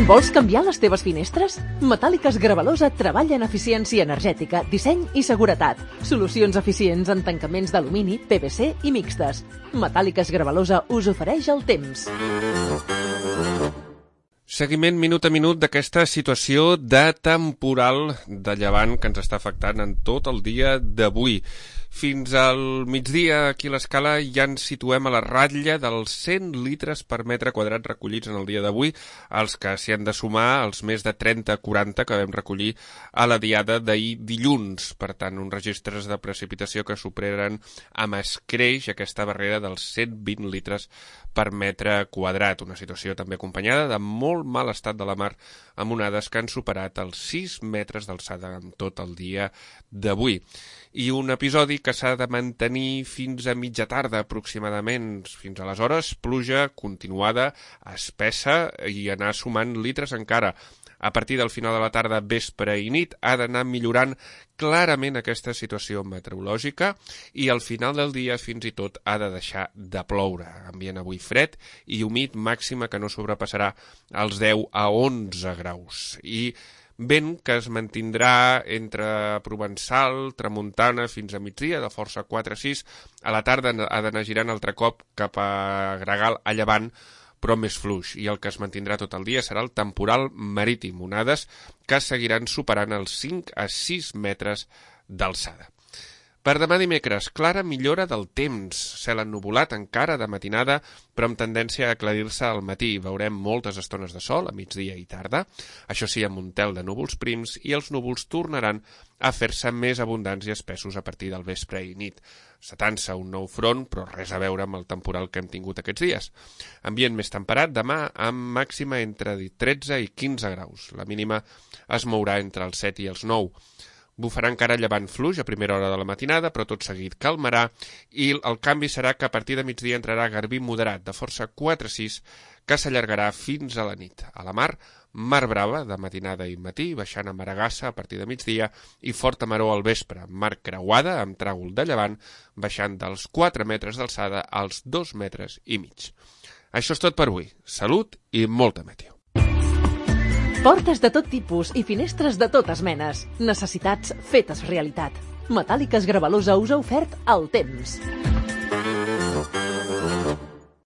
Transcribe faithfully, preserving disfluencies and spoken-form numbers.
Vols canviar les teves finestres? Metàl·liques Gravalosa treballa en eficiència energètica, disseny i seguretat. Solucions eficients en tancaments d'alumini, P V C i mixtes. Metàl·liques Gravalosa us ofereix el temps. Seguiment minut a minut d'aquesta situació de temporal de llevant que ens està afectant en tot el dia d'avui. Fins al migdia, aquí a l'escala, ja ens situem a la ratlla dels cent litres per metre quadrat recollits en el dia d'avui, els que s'hi han de sumar els més de trenta a quaranta que vam recollir a la diada d'ahir dilluns. Per tant, uns registres de precipitació que superen amb escreix aquesta barrera dels cent vint litres per metre quadrat. Una situació també acompanyada de molt mal estat de la mar, amb onades que han superat els sis metres d'alçada en tot el dia d'avui. I un episodi que s'ha de mantenir fins a mitja tarda aproximadament. Fins aleshores, pluja continuada, espessa i anar sumant litres encara. A partir del final de la tarda, vespre i nit, ha d'anar millorant clarament aquesta situació meteorològica i al final del dia fins i tot ha de deixar de ploure. Ambient avui fred i humit, màxima que no sobrepassarà els deu a onze graus. I vent que es mantindrà entre provençal, tramuntana, fins a migdia, de força quatre a sis. A la tarda ha d'anar girant altre cop cap a Gregal, a llevant, però més fluix. I el que es mantindrà tot el dia serà el temporal marítim, onades que seguiran superant els cinc a sis metres d'alçada. Per demà dimecres, clara millora del temps. Cel ennuvolat encara de matinada, però amb tendència a aclarir-se al matí. Veurem moltes estones de sol a migdia i tarda, això sí, amb un tel de núvols prims, i els núvols tornaran a fer-se més abundants i espessos a partir del vespre i nit. Setant-se un nou front, però res a veure amb el temporal que hem tingut aquests dies. Ambient més temperat demà, amb màxima entre tretze i quinze graus. La mínima es mourà entre els set i els nou. Bufarà encara llevant fluix a primera hora de la matinada, però tot seguit calmarà, i el canvi serà que a partir de migdia entrarà garbí moderat de força quatre a sis, que s'allargarà fins a la nit. A la mar, mar brava de matinada i matí, baixant a Maragassa a partir de migdia, i forta maror al vespre, mar creuada amb tràgol de llevant, baixant dels quatre metres d'alçada als dos metres i mig. Això és tot per avui. Salut i molta meteo. Portes de tot tipus i finestres de totes menes. Necessitats fetes realitat. Metàl·liques Gravalosa us ha ofert el temps.